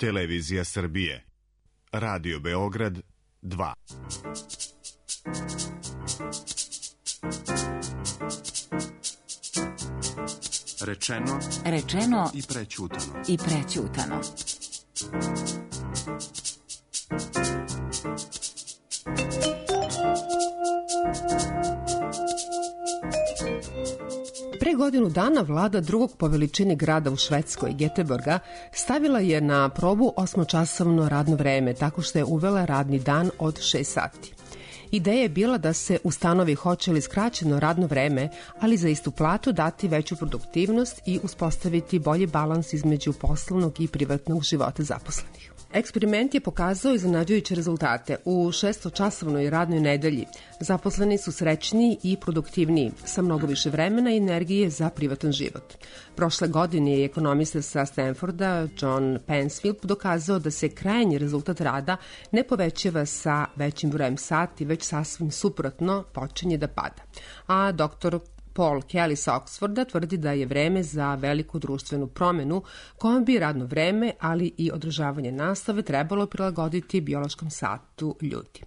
Televizija Srbije. Radio Beograd 2. Rečeno i prećutano. Pre godinu dana vlada drugog po veličini grada u Švedskoj, Göteborga, stavila je na probu 8-časovno radno vreme tako što je uvela radni dan od 6 sati. Ideja je bila da se ustanovi hoće li skraćeno radno vreme, ali za istu platu dati veću produktivnost i uspostaviti bolji balans između poslovnog i privatnog života zaposlenih. Eksperiment je pokazao iznenađujuće rezultate. U 6-časovnoj radnoj nedelji zaposleni su srećniji i produktivniji, sa mnogo više vremena i energije za privatan život. Prošle godine je ekonomista sa Stanforda, John Pensfield, dokazao da se krajnji rezultat rada ne povećava sa većim brojem sati, već sasvim suprotno počinje da pada. A doktor Paul Kelly sa Oxforda tvrdi da je vreme za veliku društvenu promenu kojom bi radno vreme, ali i održavanje nastave trebalo prilagoditi biološkom satu ljudi.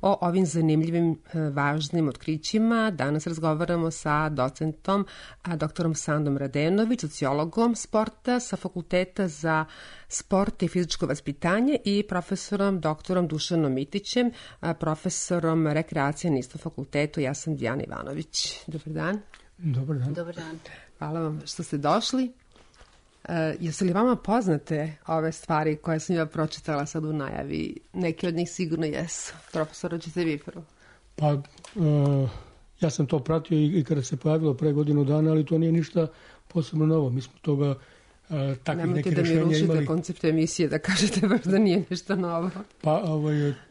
O ovim zanimljivim, važnim otkrićima danas razgovaramo sa docentom, doktorom Sandom Radenović, sociologom sporta sa Fakulteta za sport i fizičko vaspitanje i profesorom doktorom Dušanom Mitićem, profesorom rekreacije na istom fakultetu. Ja sam Dijana Ivanović. Dobar dan. Dobar dan. Dobar dan. Hvala vam što ste došli. Jesu li vama poznate ove stvari koje sam ja pročitala sad u najavi? Neki od njih sigurno jesu. Profesor, hoćete vi prvo? Pa, ja sam to pratio i kada se pojavilo pre godinu dana, ali to nije ništa posebno novo. Mi smo toga takvih nekih rešenja imali. Nemojte da mi rušite koncept emisije, da kažete baš da nije ništa novo. Pa,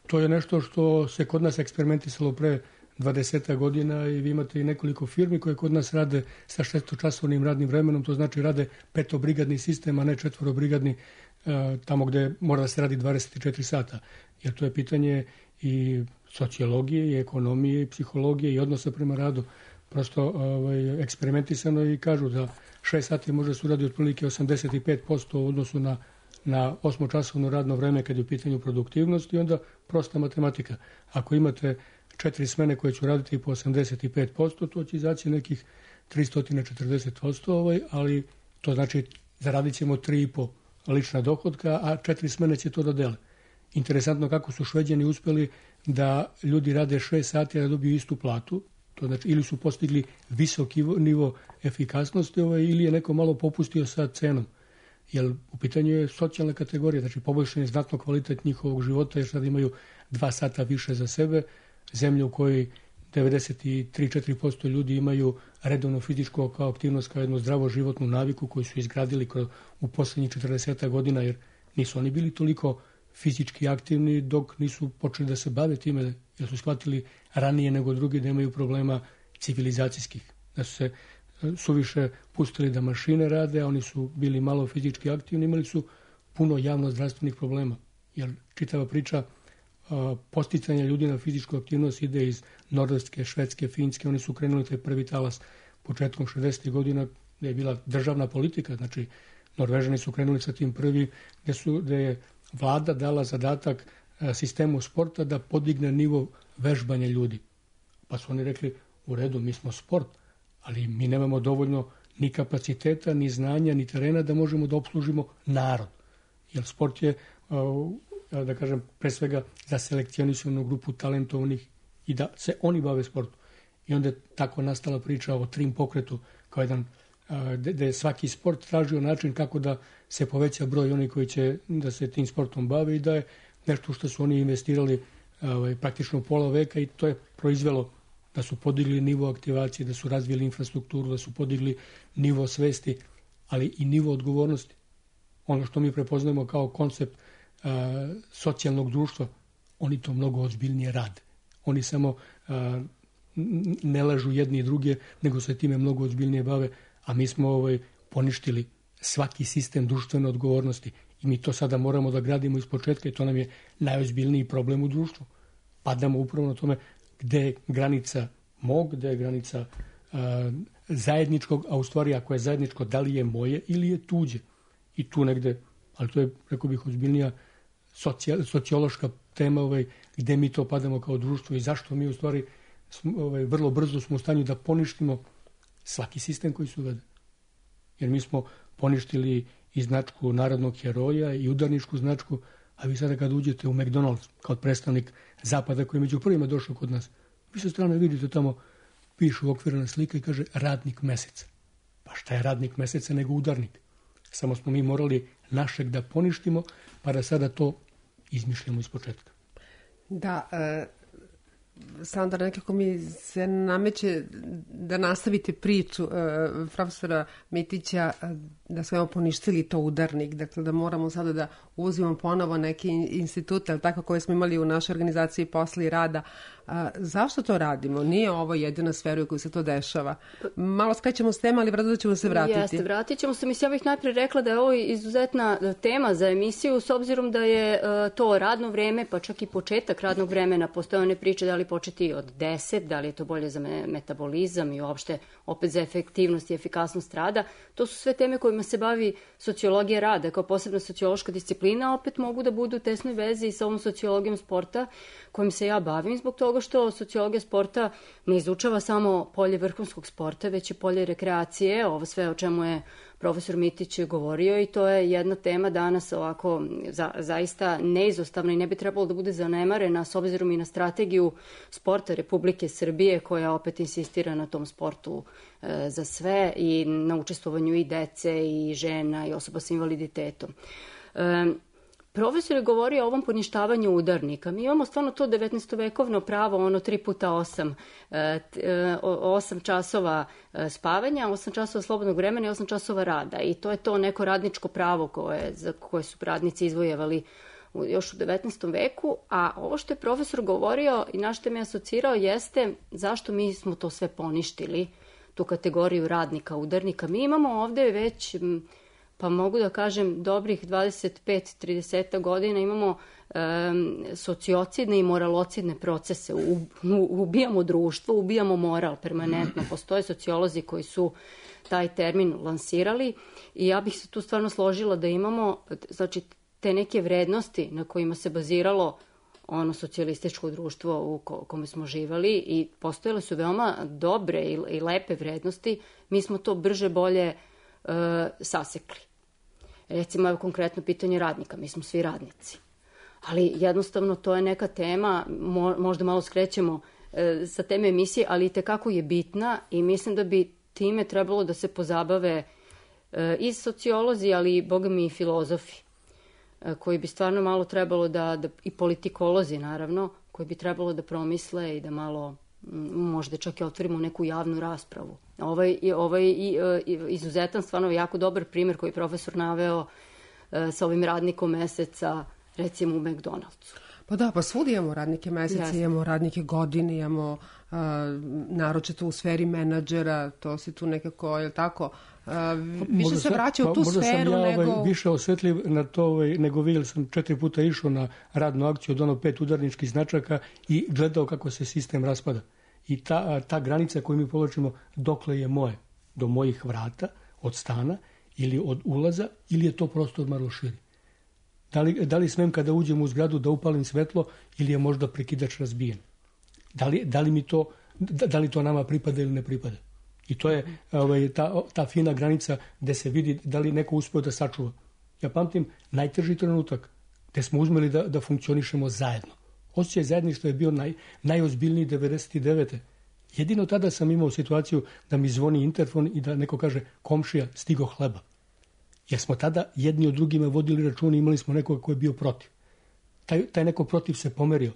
to je nešto što se kod nas eksperimentisalo pre 20 godina i vi imate i nekoliko firmi koje kod nas rade sa 6-časovnim radnim vremenom, to znači rade 5-brigadni sistem, a ne 4-brigadni, tamo gde mora da se radi 24 sata. Jer to je pitanje i sociologije, i ekonomije, i psihologije, i odnosa prema radu. Prosto eksperimentisano i kažu da 6 sati može se uradi otprilike 85% u odnosu na 8-časovno radno vreme kad je u pitanju produktivnost i onda prosta matematika. Ako imate 4 smene koje ću raditi po 85%, to će izaći nekih 340%, ali to znači zaradit ćemo 3,5 lična dohodka, a 4 smene će to da dele. Interesantno kako su Šveđani uspeli da ljudi rade 6 sati a da dobiju istu platu, to znači ili su postigli visoki nivo efikasnosti ili je neko malo popustio sa cenom. Jer u pitanju je socijalna kategorija, znači poboljšan je znatno kvalitet njihovog života jer sad imaju 2 sata više za sebe, zemlje u kojoj 93-4% ljudi imaju redovno fizičku aktivnost kao jednu zdravo životnu naviku koju su izgradili u poslednjih 40 godina jer nisu oni bili toliko fizički aktivni dok nisu počeli da se bave time jer su shvatili ranije nego drugi da imaju problema civilizacijskih. Da su se suviše pustili da mašine rade, a oni su bili malo fizički aktivni, imali su puno javno-zdravstvenih problema. Jer čitava priča posticanja ljudi na fizičku aktivnost ide iz Norveške, Švedske, Finske. Oni su krenuli taj prvi talas početkom 60. godina gde je bila državna politika. Znači, Norvežani su krenuli sa tim prvi gde je vlada dala zadatak sistemu sporta da podigne nivo vežbanja ljudi. Pa su oni rekli, u redu, mi smo sport, ali mi nemamo dovoljno ni kapaciteta, ni znanja, ni terena da možemo da opslužimo narod. Jer sport je da kažem, pre svega za selekcionisanu grupu talentovanih i da se oni bave sportom. I onda je tako nastala priča o trim pokretu, kao jedan, gde je svaki sport tražio način kako da se poveća broj oni koji će da se tim sportom bave i da je nešto što su oni investirali praktično pola veka i to je proizvelo da su podigli nivo aktivacije, da su razvili infrastrukturu, da su podigli nivo svesti, ali i nivo odgovornosti. Ono što mi prepoznajemo kao koncept socijalnog društva, oni to mnogo ozbiljnije rade. Oni samo ne lažu jedni i druge, nego se time mnogo ozbiljnije bave, a mi smo poništili svaki sistem društvene odgovornosti i mi to sada moramo da gradimo iz početka i to nam je najozbiljniji problem u društvu. Padamo upravo na tome gde je granica mog, gde je granica zajedničkog, a u stvari ako je zajedničko, da li je moje ili je tuđe. I tu negde ali to je, rekao bih, ozbiljnija sociološka tema gde mi to padamo kao društvo i zašto mi u stvari vrlo brzo smo u stanju da poništimo svaki sistem koji se uvede. Jer mi smo poništili i značku narodnog heroja i udarničku značku, a vi sada kad uđete u McDonald's kao predstavnik Zapada koji je među prvima došao kod nas, vi sa strane vidite tamo pišu okvirna slika i kaže radnik meseca. Pa šta je radnik meseca nego udarnik? Samo smo mi morali našeg da poništimo, pa da sada to izmišljamo iz početka. Da, Sandra, nekako mi se nameće da nastavite priču profesora Mitića da smo poništili to udarnik, dakle da moramo sada da uzimamo ponovo neke institute, ali tako koje smo imali u našoj organizaciji posle i rada. Zašto to radimo? Nije ovo jedina sfera u kojoj se to dešava. Malo skrećemo s tema, ali vrlo ćemo se vratiti. Jeste, vratit ćemo se. Mislim, ja bih najprije rekla da je ovo izuzetna tema za emisiju, s obzirom da je to radno vreme, pa čak i početak radnog vremena. Postoje one priče da li početi od 10, da li je to bolje za metabolizam i uopšte opet za efektivnost i efikasnost rada. To su sve teme kojima se bavi sociologija rada kao posebna sociološka disciplina, opet mogu da budu u tesnoj vezi i sa ovom sociologijom sporta kojim se ja bavim, zbog toga što sociologija sporta ne izučava samo polje vrhunskog sporta, već i polje rekreacije, ovo sve o čemu je profesor Mitić govorio, i to je jedna tema danas ovako zaista neizostavna i ne bi trebalo da bude zanemarena s obzirom i na strategiju sporta Republike Srbije koja opet insistira na tom sportu za sve i na učestvovanju i dece i žena i osoba sa invaliditetom. Profesor je govorio o ovom poništavanju udarnika. Mi imamo stvarno to 19-vekovno pravo, ono 3x8, 8 časova spavanja, 8 časova slobodnog vremena i 8 časova rada. I to je to neko radničko pravo za koje su radnici izvojevali još u 19. veku. A ovo što je profesor govorio i na što me asocirao jeste zašto mi smo to sve poništili, tu kategoriju radnika, udarnika. Mi imamo ovde već, pa mogu da kažem, dobrih 25-30 godina imamo sociocidne i moralocidne procese. Ubijamo društvo, ubijamo moral permanentno. Postoje sociolozi koji su taj termin lansirali i ja bih se tu stvarno složila da imamo, znači, te neke vrednosti na kojima se baziralo ono socijalističko društvo u kome smo živali i postojale su veoma dobre i lepe vrednosti. Mi smo to brže bolje sasekli. Recimo, evo konkretno pitanje radnika. Mi smo svi radnici. Ali jednostavno to je neka tema, možda malo skrećemo sa teme emisije, ali itekako je bitna i mislim da bi time trebalo da se pozabave i sociolozi, ali i boga mi i filozofi, koji bi stvarno malo trebalo i politikolozi naravno, koji bi trebalo da promisle i da malo možda čak i otvorimo neku javnu raspravu. Ovaj izuzetan, stvarno jako dobar primjer koji je profesor naveo sa ovim radnikom meseca, recimo u McDonald'su. Pa da, pa svudi imamo radnike meseca, imamo radnike godine, imamo naročito u sferi menadžera, to se tu nekako, je li tako, više se vraća u tu sferu nego... Možda sam ja više osvetljiv na to nego vi, jer sam 4 puta išao na radnu akciju od 5 udarničkih značaka i gledao kako se sistem raspada. I ta granica koju mi povlačimo, dokle je moje, do mojih vrata, od stana ili od ulaza, ili je to prostor malo širi. Da li smem kada uđem u zgradu da upalim svetlo ili je možda prekidač razbijen? Da li to nama pripada ili ne pripada? I to je ta fina granica gde se vidi da li neko uspeo da sačuva. Ja pamtim najteži trenutak gde smo uzmeli da funkcionišemo zajedno. Osjećaj zajedništva je bio najozbiljniji 99. Jedino tada sam imao situaciju da mi zvoni interfon i da neko kaže komšija, stigo hleba. Jer smo tada jedni od drugima vodili račun i imali smo nekoga ko je bio protiv. Taj neko protiv se pomerio.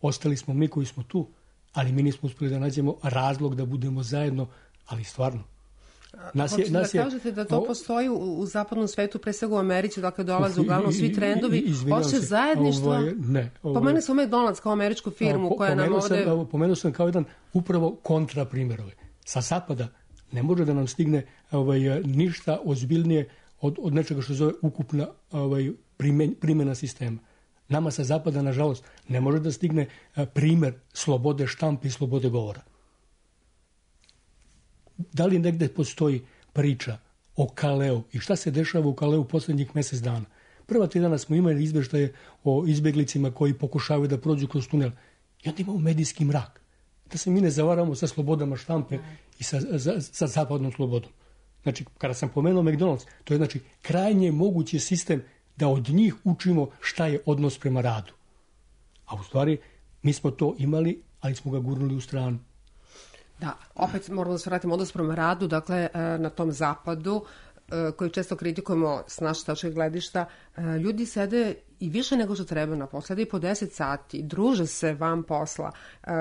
Ostali smo mi koji smo tu, ali mi nismo uspeli da nađemo razlog da budemo zajedno, ali stvarno. Hoćete da kažete da to postoji u zapadnom svetu, pre svega u Americi, dakle dolaze uglavnom svi trendovi, osjećaj zajedništva. Pomenuo sam McDonald's kao američku firmu koja nam ovde... Pomenuo sam kao jedan upravo kontraprimjer. Sa zapada ne može da nam stigne ništa ozbiljnije od nečega što se zove ukupna primjena sistema. Nama sa zapada, nažalost, ne može da stigne primer slobode štampe i slobode govora. Da li negde postoji priča o Kaleu i šta se dešava u Kaleu poslednjih mesec dana? Prva 3 dana smo imali izveštaje o izbeglicima koji pokušavaju da prođu kroz tunel. I onda imamo medijski mrak. Da se mi ne zavaramo sa slobodama štampe i sa zapadnom slobodom. Znači, kada sam pomenuo McDonald's, to je znači krajnje mogući sistem da od njih učimo šta je odnos prema radu. A u stvari, mi smo to imali, ali smo ga gurnuli u stranu. Da, opet moramo da se vratimo odnos prema radu, dakle, na tom zapadu, koji često kritikujemo s naše tačke gledišta, ljudi sede i više nego što treba na poslu, sede i po 10 sati, druže se van posla,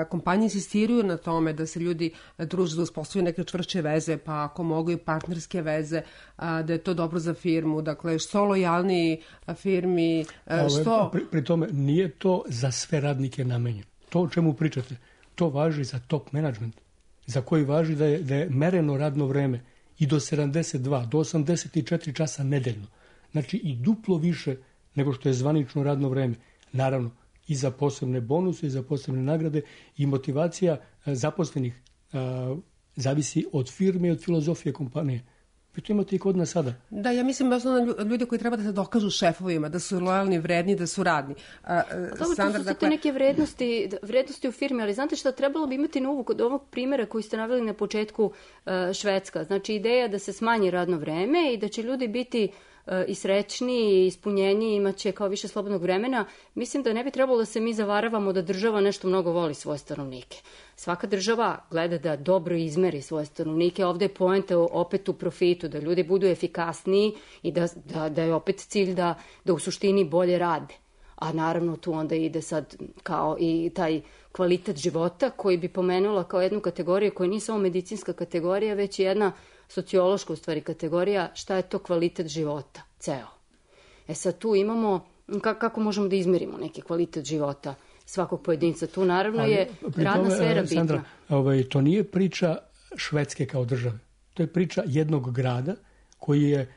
kompanije insistiraju na tome da se ljudi druže, da uspostavljaju neke čvršće veze, pa ako mogu i partnerske veze, da je to dobro za firmu, dakle, što lojalniji firmi, što... Pri tome, nije to za sve radnike namenjeno. To o čemu pričate, to važi za top management, za koji važi da je mereno radno vreme i do 72, do 84 časa nedeljno. Znači i duplo više nego što je zvanično radno vreme. Naravno, i za posebne bonuse, i za posebne nagrade, i motivacija zaposlenih zavisi od firme i od filozofije kompanije. Vi to imate i kod nas sada. Da, ja mislim baš na ljude koji treba da se dokažu šefovima, da su lojalni, vredni, da su radni. Dobro, to su te neke vrednosti u firmi, ali znate šta, trebalo bi imati na uvu kod ovog primjera koji ste naveli na početku, Švedska. Znači, ideja da se smanji radno vreme i da će ljudi biti i srećniji i ispunjeniji, imaće kao više slobodnog vremena. Mislim da ne bi trebalo da se mi zavaravamo da država nešto mnogo voli svoje stanovnike. Svaka država gleda da dobro izmeri svoje stanovnike. Ovde je poenta opet u profitu, da ljudi budu efikasniji i da je opet cilj da u suštini bolje rade. A naravno tu onda ide sad kao i taj kvalitet života koji bi pomenula kao jednu kategoriju koja nije samo medicinska kategorija, već i jedna sociološka u stvari kategorija, šta je to kvalitet života, ceo. Sad tu imamo, kako možemo da izmerimo neki kvalitet života svakog pojedinca. Tu naravno je radna sfera bitna. Sandra, to nije priča Švedske kao države. To je priča jednog grada koji je,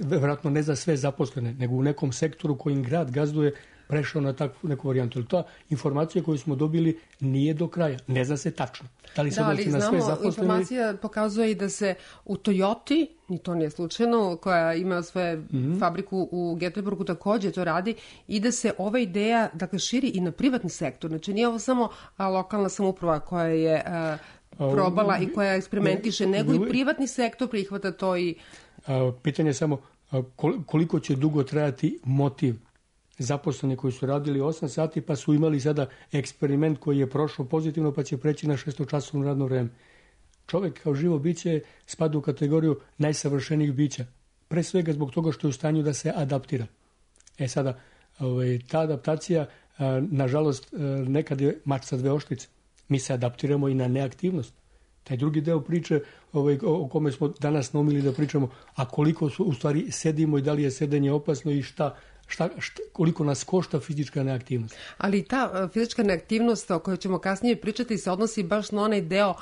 vjerojatno ne za sve zaposlene, nego u nekom sektoru kojim grad gazduje prešao na takvu neku varijantu. Ali ta informacija koju smo dobili nije do kraja. Ne zna se tačno. Da li se odnosi na sve zaposlene? Informacija pokazuje i da se u Toyoti, i to nije slučajno, koja ima svoju fabriku u Göteborgu, također to radi, i da se ova ideja širi i na privatni sektor. Znači nije ovo samo lokalna samouprava koja je probala i koja eksperimentiše, nego i privatni sektor prihvata to i... Pitanje je samo koliko će dugo trajati motiv zaposleni koji su radili 8 sati pa su imali sada eksperiment koji je prošao pozitivno pa će preći na 6-časovno radno vreme. Čovjek kao živo biće spada u kategoriju najsavršenijih bića. Pre svega zbog toga što je u stanju da se adaptira. Sada, ta adaptacija, nažalost, nekad je mač sa 2 oštrice. Mi se adaptiramo i na neaktivnost. Taj drugi deo priče o kome smo danas naumili da pričamo, a koliko u stvari sedimo i da li je sedenje opasno i koliko nas košta fizička neaktivnost. Ali ta fizička neaktivnost o kojoj ćemo kasnije pričati se odnosi baš na onaj deo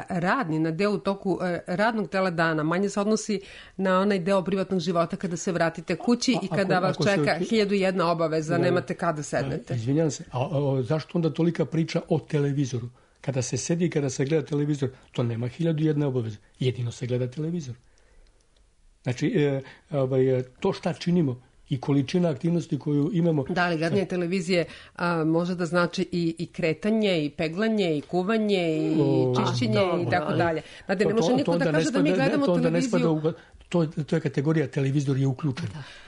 radni, na deo u toku radnog dela dana. Manje se odnosi na onaj deo privatnog života kada se vratite kući i kada vas čeka 1001 obaveza, nemate kada sednete. Izvinjam se, a zašto onda tolika priča o televizoru? Kada se sedi i kada se gleda televizor, to nema 1001 obaveze. Jedino se gleda televizor. Znači, to šta činimo i količina aktivnosti koju imamo... Da, ali gledanje televizije može da znači i kretanje, i peglanje, i kuvanje, i čišćenje i tako dalje. Znate, ne može niko da kaže da mi gledamo televiziju... To je kategorija televizor je uključen.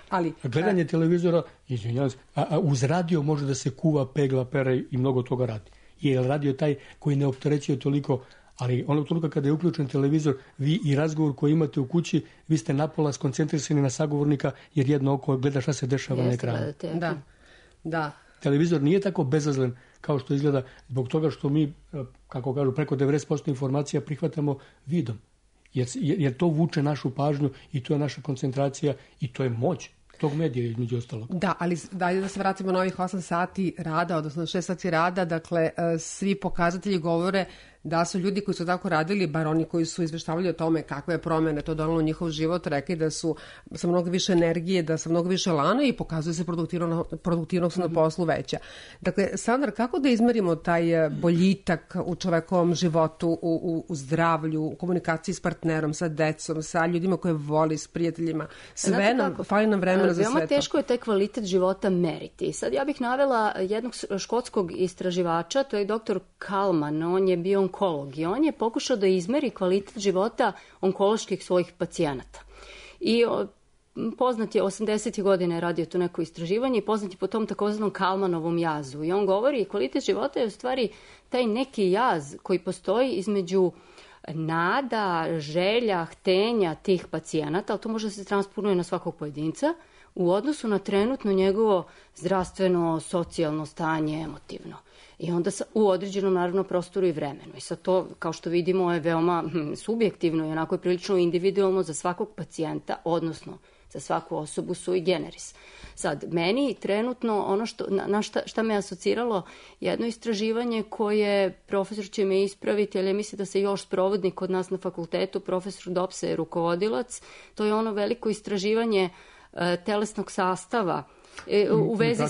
Ali, gledanje televizora, izvinjavam se, uz radio može da se kuva, pegla, pere i mnogo toga radi. Jer radio je taj koji ne opterećuje toliko, ali onog trenutka kada je uključen televizor, vi i razgovor koji imate u kući, vi ste napola skoncentrisani na sagovornika jer jedno oko gleda šta se dešava na ekranu. Da. Televizor nije tako bezazlen kao što izgleda zbog toga što mi, kako kažu, preko 90% informacija prihvatamo vidom. Jer to vuče našu pažnju i to je naša koncentracija i to je moć tog medija između ostalog. Da, ali da se vratimo na ovih 8 sati rada, odnosno 6 sati rada, dakle, svi pokazatelji govore da su ljudi koji su tako radili, bar oni koji su izveštavali o tome kakve je promene to donalo u njihov život, rekli da su sa mnogo više energije, da sa mnogo više lana i pokazuje se produktivnost na poslu veća. Dakle, Sandra, kako da izmerimo taj boljitak u čovekovom životu, u zdravlju, u komunikaciji s partnerom, sa decom, sa ljudima koje voli, s prijateljima? Sve nam, fali nam vremena za sve to. Veoma teško je taj kvalitet života meriti. Sad ja bih navela jednog škotskog istraživača, to je doktor Kalman, on je bio onkolog i on je pokušao da izmeri kvalitet života onkoloških svojih pacijenata. I poznat je, 80. godine radio to neko istraživanje i poznat je po tom takozvanom Kalmanovom jazu. I on govori, kvalitet života je u stvari taj neki jaz koji postoji između nada, želja, htenja tih pacijenata, ali to može da se transponuje na svakog pojedinca, u odnosu na trenutno njegovo zdravstveno, socijalno stanje, emotivno. I onda u određenom, naravno, prostoru i vremenu. I sad to, kao što vidimo, je veoma subjektivno i onako je prilično individualno za svakog pacijenta, odnosno za svaku osobu sui generis. Sad, meni trenutno ono šta me asociralo, jedno istraživanje koje, profesor će me ispraviti, ali mislim da se još sprovodi kod nas na fakultetu, profesor Dopsa je rukovodilac, to je ono veliko istraživanje telesnog sastava u vezi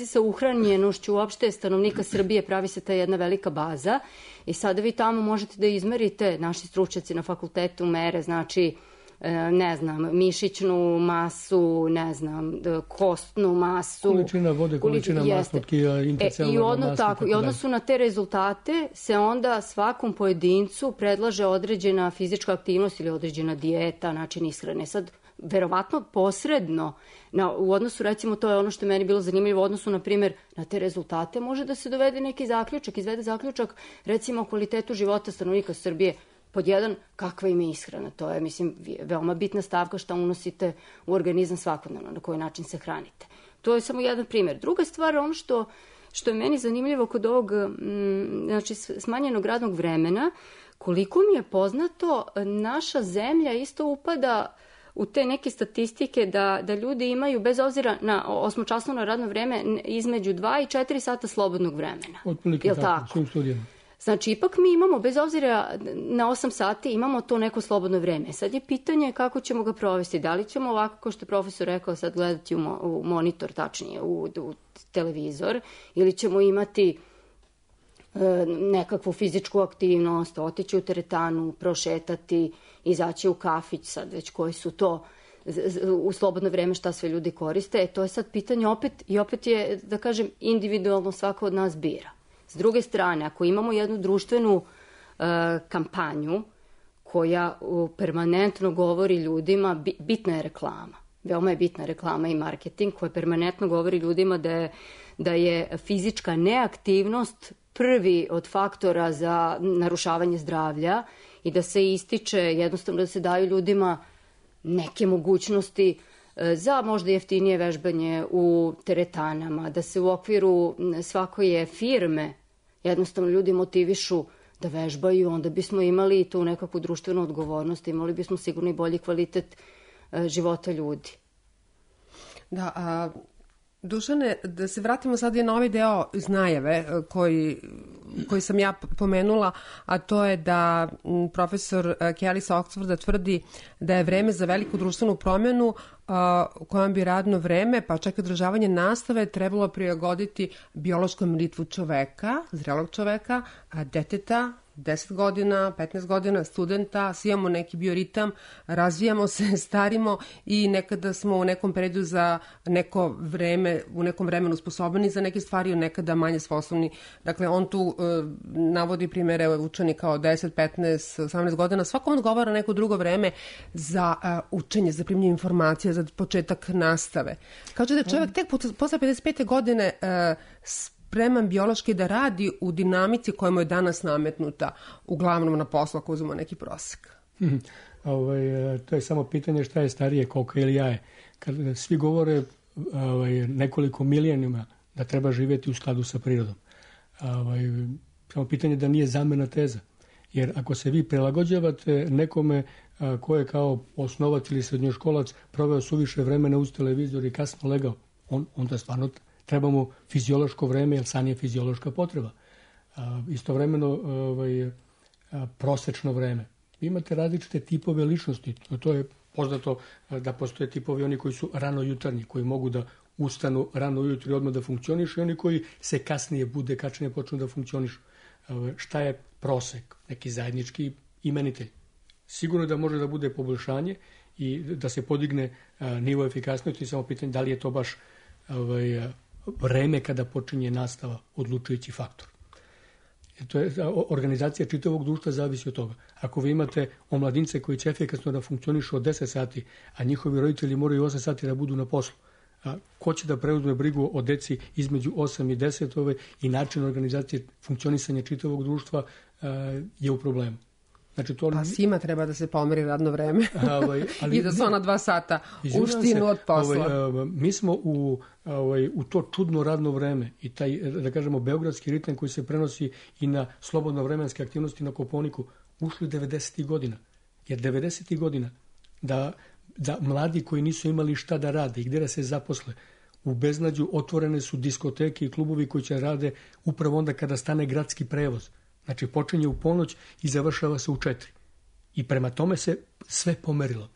sa uhranjenošću uopšte stanovnika Srbije, pravi se ta jedna velika baza i sada vi tamo možete da izmerite, naši stručnjaci na fakultetu mere, znači ne znam, mišićnu masu, ne znam, kostnu masu. Količina vode, količina masnog tkiva, intercelularna masa. I odnosu na te rezultate se onda svakom pojedincu predlaže određena fizička aktivnost ili određena dijeta, način ishrane. Sad, verovatno posredno, u odnosu, recimo, to je ono što je meni bilo zanimljivo, u odnosu, na primjer, na te rezultate može da se dovede neki zaključak, izvede zaključak, recimo, o kvalitetu života stanovnika Srbije. Pod jedan, kakva im je ishrana. To je, mislim, veoma bitna stavka šta unosite u organizam svakodnevno, na koji način se hranite. To je samo jedan primjer. Druga stvar, ono što je meni zanimljivo kod ovog znači, smanjenog radnog vremena, koliko mi je poznato, naša zemlja isto upada u te neke statistike da ljudi imaju, bez obzira na 8-časovno radno vreme, između 2 i 4 sata slobodnog vremena. Otprilike tako, svim studijama. Znači, ipak mi imamo, bez obzira na 8 sati, imamo to neko slobodno vreme. Sad je pitanje kako ćemo ga provesti. Da li ćemo ovako, kao što je profesor rekao, sad gledati u monitor, tačnije u televizor, ili ćemo imati nekakvu fizičku aktivnost, otići u teretanu, prošetati, izaći u kafić, sad već koji su to u slobodno vreme šta sve ljudi koriste. To je sad pitanje opet je, da kažem, individualno svako od nas bira. S druge strane, ako imamo jednu društvenu kampanju koja permanentno govori ljudima, bitna je reklama, veoma je bitna reklama i marketing, koja permanentno govori ljudima da je fizička neaktivnost prvi od faktora za narušavanje zdravlja i da se ističe, jednostavno da se daju ljudima neke mogućnosti za možda jeftinije vežbanje u teretanama, da se u okviru svakoje firme jednostavno ljudi motivišu da vežbaju, onda bismo imali tu nekakvu društvenu odgovornost, imali bismo sigurno i bolji kvalitet života ljudi. Da, Dušane, da se vratimo sad i na ovaj deo iz najave koji sam ja pomenula, a to je da profesor Kelly sa Oxforda tvrdi da je vreme za veliku društvenu promjenu u kojem bi radno vreme, pa čak i održavanje nastave, trebalo prilagoditi biološkom ritmu čoveka, zrelog čoveka, deteta, 10 godina, 15 godina, studenta, svi imamo neki bioritam, razvijamo se, starimo i nekada smo u nekom periodu za neko vreme, u nekom vremenu sposobni za neke stvari, nekada manje sposobni. Dakle, on tu navodi primjere učenika od 10, 15, 18 godina. Svako odgovara neko drugo vreme za učenje, za primljenje informacija, za početak nastave. Kaže da čovjek tek posle 55. godine spreman biološki da radi u dinamici koja mu je danas nametnuta, uglavnom na poslu ako uzmemo neki prosek. To je samo pitanje šta je starije, koka ili jaje. Kad svi govore nekoliko milenijuma da treba živjeti u skladu sa prirodom. Samo pitanje da nije zamena teza. Jer ako se vi prilagođavate nekome ko je kao osnovac ili srednjoškolac proveo suviše vremena uz televizor i kasno legao, onda stvarno trebamo fiziološko vreme, jer san je fiziološka potreba. Istovremeno prosečno vreme. Imate različite tipove ličnosti. To je poznato da postoje tipovi oni koji su ranojutarnji, koji mogu da ustanu rano ujutro i odmah da funkcionišu, i oni koji se kasnije bude, kasnije počnu da funkcionišu. Šta je prosek? Neki zajednički imenitelj. Sigurno da može da bude poboljšanje i da se podigne nivo efikasnosti, samo pitanje da li je to baš vreme kada počinje nastava odlučujući faktor. To je, organizacija čitavog društva zavisi od toga. Ako vi imate omladince koji će efikasno da funkcionišu od 10 sati, a njihovi roditelji moraju 8 sati da budu na poslu, ko će da preuzme brigu o deci između 8 i 10 i način organizacije funkcionisanja čitavog društva je u problemu. Znači, to... Pa svima treba da se pomeri radno vreme i da su ona 2 sata uštinu od posla. Mi smo u to čudno radno vreme i taj, da kažemo, beogradski ritam koji se prenosi i na slobodno vremenske aktivnosti na Kopaoniku ušli 90. godina. Jer 90. godina da mladi koji nisu imali šta da rade i gdje da se zaposle, u beznađu otvorene su diskoteke i klubovi koji će rade upravo onda kada stane gradski prevoz. Znači, počinje u ponoć i završava se u 4. I prema tome se sve pomerilo.